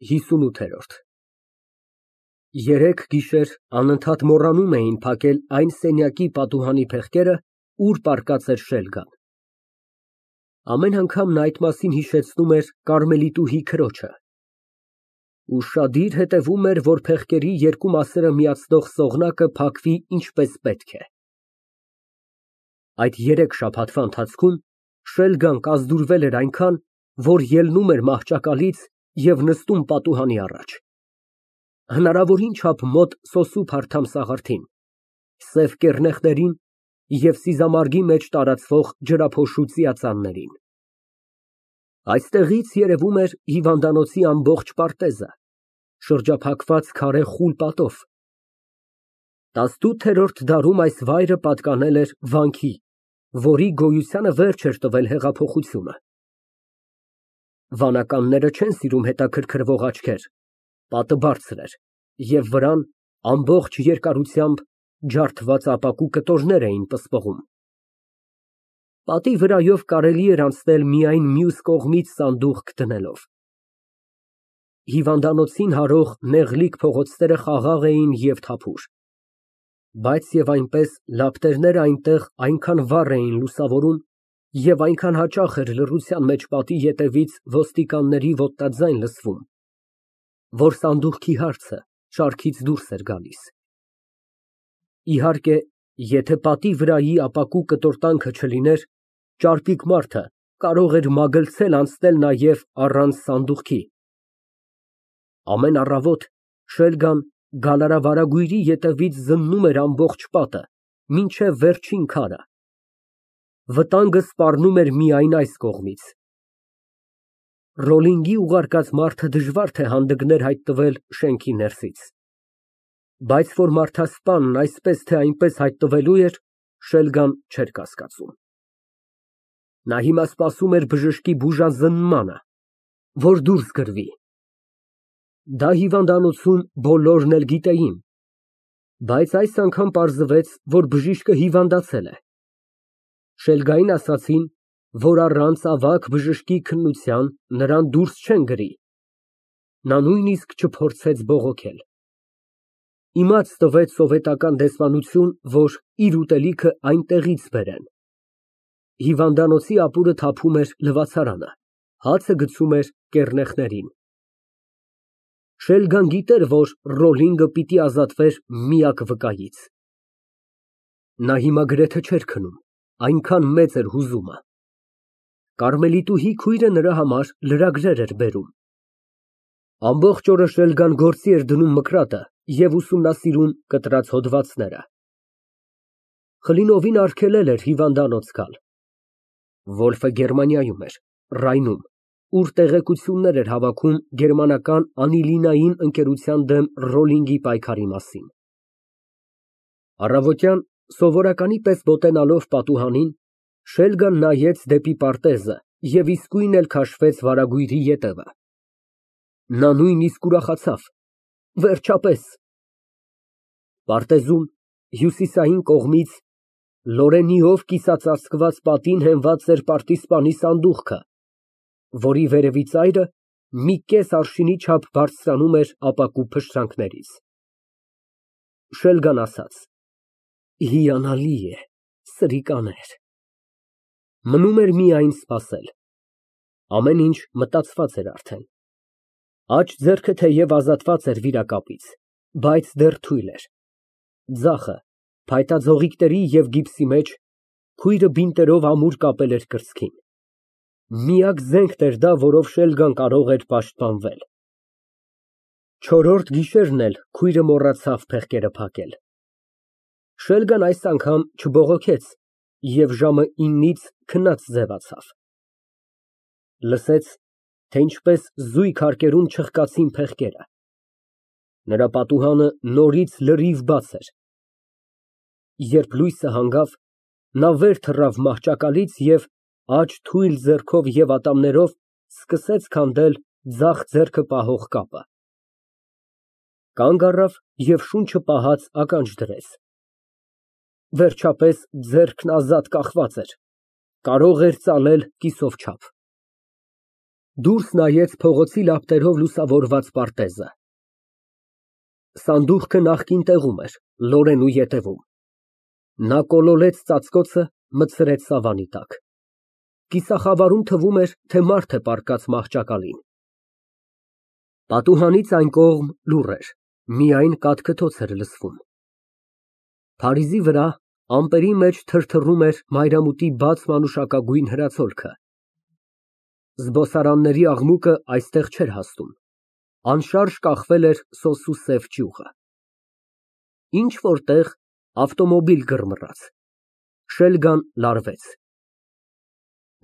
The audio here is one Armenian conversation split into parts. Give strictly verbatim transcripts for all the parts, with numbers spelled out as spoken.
ՀԻսունութ Երեկ գիշեր անընդհատ մոռանում էին փակել այն սենյակի պատուհանի փեղկերը, ուր պառկած էր Շելգան։ Ամեն անգամ նա այդ մասին հիշեցնում էր կարմելիտուհի քրոջը, ուշադիր հետևում էր, որ փեղկերի երկու մասերը միացնող ծողնակը փակվի ինչպես պետք է։ Այդ երեք շաբաթվա ընթացքում Շելգան կազդուրվել էր այնքան, որ ելնում էր մահճակալից և նստում պատուհանի առաջ, հնարավորին չափ մոտ սոսու սաղարթին, սև կեռնեխներին և սիզամարգի մեջ տարածվող ջրափոշու ծիածաններին։ Այստեղից երևում էր հիվանդանոցի ամբողջ պարտեզը, շրջափակված քարե խուլ պատով։ տասնութերորդ դարում այս վայրը պատկանել էր վանքի, որի գոյությանը վերջ էր տվել հեղափոխությունը։ Վանականները չեն սիրում հետաքրքրվող աչքեր, պատը բարձր էր, և վրան ամբողջ երկարությամբ ջարդված ապակու կտորներ էին պսպղում։ Պատի վրայով կարելի էր անցնել միայն մյուս կողմից սանդուղք դնելով։ Հիվանդանոցին հարող նեղլիկ փողոցները խաղաղ էին և թափուր, բայց և այնպես լապտերները այնտեղ այնքան վառ էին լուսավորում և այնքան հաճախ էր լռության մեջ պատի ետևից ոստիկանների ոտնաձայն լսվում, որ սանդուղքի հարցը շարքից դուրս էր գալիս։ Իհարկե, եթե պատի վրայի ապակու կտորտանքը չլիներ, ճարպիկ մարդը կարող էր մագլցել անցնել նաև առանց սանդուղքի։ Ամեն առավոտ Շելգան գալարավարագույրի ետևից զննում էր ամբողջ պատը, մինչև վերջին քարը։ Վտանգը սպառնում էր միայն այս կողմից։ Ռոլինգի ուղարկած մարդը դժվար թե հանդգներ հայտնվել շենքի ներսից, բայց որ մարդասպանն այսպես թե այնպես հայտնվելու էր, Շելգան չէր կասկածում։ Նա հիմա սպասում էր բժշկի բուժազնմանը, որ դուրս գրվի։ Դա հիվանդանոցում բոլորն էլ գիտեին, բայց այս անգամ պարզվեց, որ բժիշկը հիվանդացել է։ Շելգային ասացին, որ առանց ավագ բժշկի քննության նրան դուրս չեն գրի։ Նա նույնիսկ չփորձեց բողոքել։ Իմաց տվեց սովետական դեսպանություն, որ իր ուտելիքը այնտեղից բերեն։ Հիվանդանոցի ապուրը թափում էր լվացարանը, հացը գցում էր կեռնեխներին։ Շելգան գիտեր, որ Ռոլլինգը պիտի ազատվեր միակ վկայից։ Նա հիմա գրեթե չէր քնում, այնքան մեծ էր հուզումը։ Կարմելիտուհի քույրը նրա համար լրագրեր էր բերում։ Ամբողջ օրը Շելգան գործի էր դնում մկրատը և ուսումնասիրում կտրած հոդվածները։ Կլինովին արգելել էր հիվանդանոց գալ։ Վոլֆը Գերմանիայում էր, Ռայնում, ուր տեղեկություններ էր հավաքում գերմանական անիլինային ընկերության դեմ Ռոլլինգի պայքարի մասին։ Առավոտյան սովորականի պես մոտենալով պատուհանին, Շելգան նայեց դեպի պարտեզը և իսկույն էլ քաշվեց վարագույրի ետևը։ Նա նույնիսկ ուրախացավ, վերջապես։ Պարտեզում, հյուսիսային կողմից, Լորենիով կիսածածկված պատին հենված էր պարտիզպանի սանդուղքը, որի վերևի ծայրը մի կես արշինի չափ բարձրանում էր ապակու փշրանքներից։ Շելգան ասաց. Հիանալի է, սրիկաներ։ Մնում էր միայն սպասել։ Ամեն ինչ մտածված էր արդեն։ Աջ ձեռքը թեև ազատված էր վիրակապից, բայց դեռ թույլ էր։ Ձախը, փայտաձողիկների և գիպսի մեջ, քույրը բինտերով ամուր կապել էր կրծքին։ Միակ զենքն էր դա, որով Շելգան կարող էր պաշտպանվել։ Չորրորդ գիշերն էլ քույրը մոռացավ փեղկերը փակել։ Շելգան այս անգամ չբողոքեց և ժամը իննից քնած ձևացավ։ Լսեց, թե ինչպես զույգ հարկերում չխկացին փեղկերը։ Նրա պատուհանը նորից լրիվ բաց էր։ Երբ լույսը հանգավ, նա վեր թռավ մահճակալից և աջ թույլ ձեռքով և ատամներով սկսեց քանդել ձախ ձեռքը պահող կապը։ Կանգ առավ և շունչը պահած ականջ դրեց։ Վերջապես ձեռքն ազատ կախված էր, կարող էր ծալել կիսով չափ։ Դուրս նայեց փողոցի լապտերով լուսավորված պարտեզը։ Սանդուղքը նախկին տեղում էր, լորենու ետևում։ Նա կոլորեց ծածկոցը, մտցրեց սավանի տակ։ Կիսախավարում թվում էր, թե մարդ է պառկած մահճակալին։ Պատուհանից այն կողմ լուռ էր, միայն կաթքթոց էր լսվում։ Փարիզի վրա ամպերի մեջ թրթռում էր մայրամուտի բաց մանուշակագույն հրացոլքը։ Զբոսարանների աղմուկը այստեղ չէր հասնում, անշարժ կախվել էր սոսու սև ճյուղը։ Ինչ֊որ տեղ ավտոմոբիլ գրմռաց, շելգան լարվեց։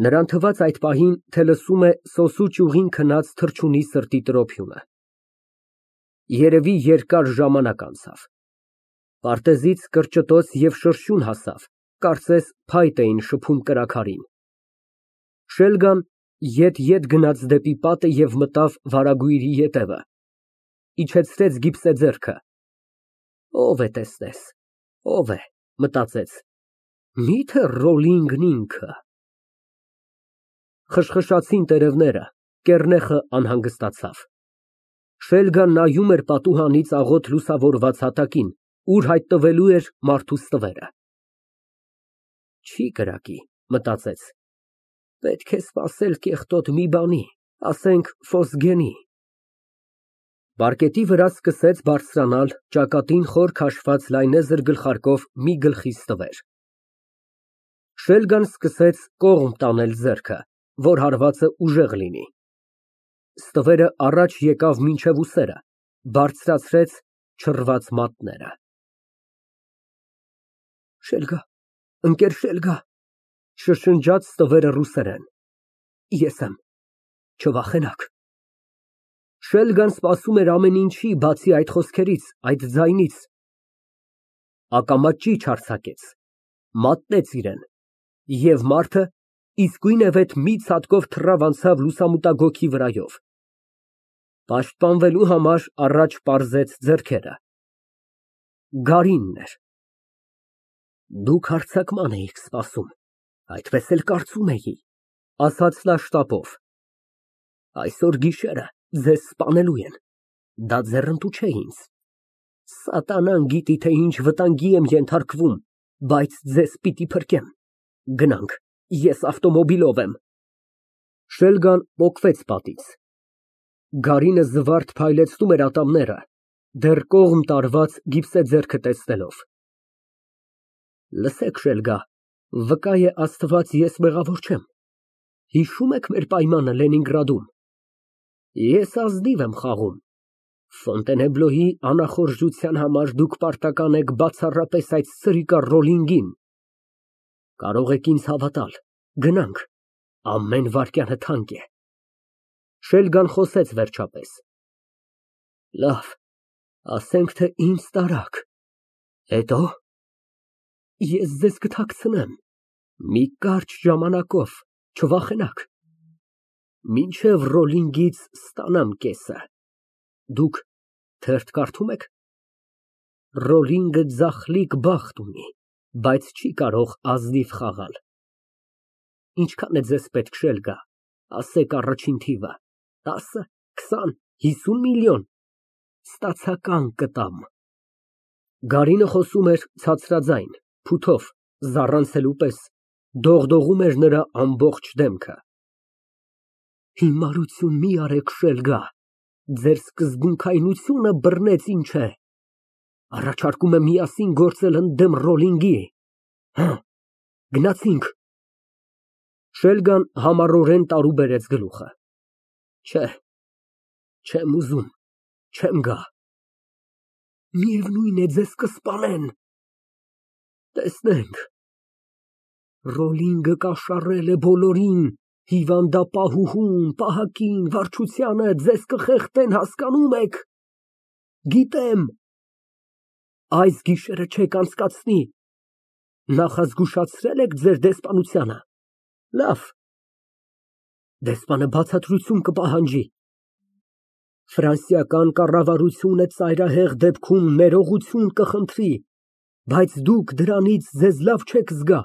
Նրան թվաց այդ պահին, թե լսում է սոսու ճյուղին քնած թռչունի սրտի տրոփյունը։ Երևի երկար ժամանակ անցավ։ Պարտեզից կրճտոց և շրշյուն հասավ, կարծես փայտ էին շփում կրաքարին։ Շելգան ետ֊ետ գնաց դեպի պատը և մտավ վարագույրի ետևը, իջեցրեց գիպսե ձեռքը։ Ո՞վ է տեսնես, ո՞վ է, մտածեց, մի՞թե Ռոլինգն ինքը։ Խշխշացին տերևները, կեռնեխը անհանգստացավ։ Շելգան նայում էր պատուհանից աղոտ լուսավորված հատակին, ուր հայտնվելու էր մարդու ստվերը։ Չի կրակի, մտածեց, պետք է սպասել կեղտոտ մի բանի, ասենք Ֆոսգենի։ Պարկետի վրա սկսեց բարձրանալ ճակատին խոր քաշված լայնեզր գլխարկով մի գլխի ստվեր։ Շելգան սկսեց կողմ տանել ձեռքը, որ հարվածը ուժեղ լինի։ Ստվերը առաջ եկավ մինչև ուսերը, բարձրացրեց չռված մատները։ Շելգա, ընկեր Շելգա, շշնջաց ստվերը ռուսերեն, ես եմ, չվախենաք։ Շելգան սպասում էր ամեն ինչի, բացի այդ խոսքերից, այդ ձայնից։ Ակամա ճիչ արձակեց, մատնեց իրան, և մարդը իսկույնևեթ մի ցատկով թռավ անցավ լուսամուտագոգի վրայով։ Պաշտպանվելու համար առաջ պարզեց ձեռքերը։ Գարինն էր։ Դուք հարձակման էիք սպասում, այդպես էլ կարծում էի, ասաց նա շտապով։ Այսօր գիշերը ձեզ սպանելու են, դա ձեռնտու չէ ինձ։ Սատանան գիտի, թե ինչ վտանգի եմ ենթարկվում, բայց ձեզ պիտի փրկեմ։ Գնանք, ես ավտոմոբիլով եմ։ Շելգան պոկվեց պատից։ Գարինը զվարթ փայլեցնում էր ատամները, դեռ կողմ տարված գիպսե ձեռքը տեսնելով։ Լսեք, Շելգա, վկա է Աստված, ես մեղավոր չեմ։ Հիշո՞ւմ եք մեր պայմանը Լենինգրադում։ Ես ազնիվ եմ խաղում։ Ֆոնտենեբլոյի անախորժության համար դուք պարտական եք բացառապես այդ սրիկա Ռոլինգին։ Կարող եք ինձ հավատալ, գնանք, ամեն վայրկյանը թանկ է։ Շելգան խոսեց վերջապես։ Լավ, ասենք, թե ինձ տարաք, հետո ես ձեզ կթաքցնեմ, մի կարճ ժամանակով, չվախենաք, մինչև Ռոլինգից ստանամ կեսը։ Դուք թերթ կարդում եք։ Ռոլինգը ձախլիկ բախտ ունի, բայց չի կարող ազնիվ խաղալ։ Ինչքան է ձեզ պետք, Շելգա, ասեք առաջին թիվը, տասը, քսան, հիսուն միլիոն, ստացական կտամ։ Գարինը խոսում էր ցածրաձայն, փութով, զառանցելու պես, դողդողում էր նրա ամբողջ դեմքը։ Հիմարություն մի արեք, Շելգա, ձեր սկզբունքայնությունը բռնեց ինչ է։ Առաջարկում եմ միասին գործել ընդդեմ Ռոլինգի։ Հը, գնացինք։ Շելգան համառորեն տարուբերեց գլուխը։ Չէ, չեմ ուզում, չեմ գա։ Միևնույն է, ձեզ կսպանեն։ Տեսնենք։ Ռոլինգը կաշառել է բոլորին, հիվանդապահուհուն, պահակին, վարչությանը, ձեզ կխեղդեն, հասկանում եք։ Գիտեմ։ Այս գիշերը չեք անցկացնի։ Նախազգուշացրել եք ձեր դեսպանությանը։ Լավ։ Դեսպանը բացատրություն կպահանջի։ Ֆրանսիական կառավարությունը ծայրահեղ դեպքում ներողություն կխնդրի, բայց դուք դրանից ձեզ լավ չեք զգա։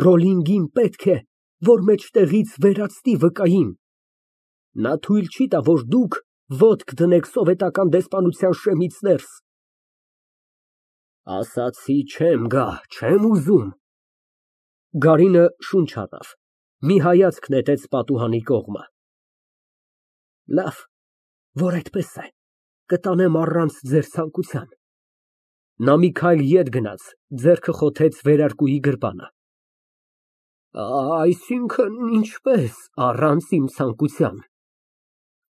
Ռոլինգին պետք է, որ մեջտեղից վերացնի վկային։ Նա թույլ չի տա, որ դուք ոտք դնեք սովետական դեսպանության շեմից ներս։ Ասացի չեմ գա, չեմ ուզում։ Գարինը շունչ առավ, մի հայացք նետեց պատուհանի կողմը։ Լավ, որ այդպես է, կտանեմ առանց ձեր ցանկության։ Նա մի քայլ ետ գնաց, ձեռքը խոթեց վերարկուի գրպանը։ Այսինքն, ինչպես առանց իմ ցանկության։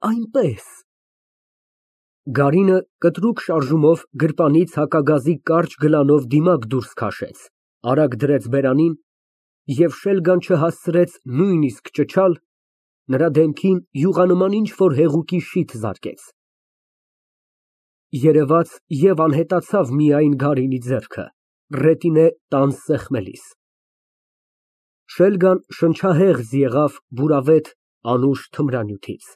Այնպես։ Գարինը կտրուկ շարժումով գրպանից հակագազի կարճ գլանով դիմակ դուրս քաշեց, արագ դրեց բերանին և շելգան չհասցրեց նույնիսկ ճչալ, նրա դեմքին յուղանման ինչ֊որ հեղուկի շիթ զարկեց։ Երևաց և անհետացավ միայն Գարինի ձեռքը, ռետինե տանձ սեղմելիս։ Շելգան շնչահեղձ եղավ բուրավետ, անուշ թմրանյութից։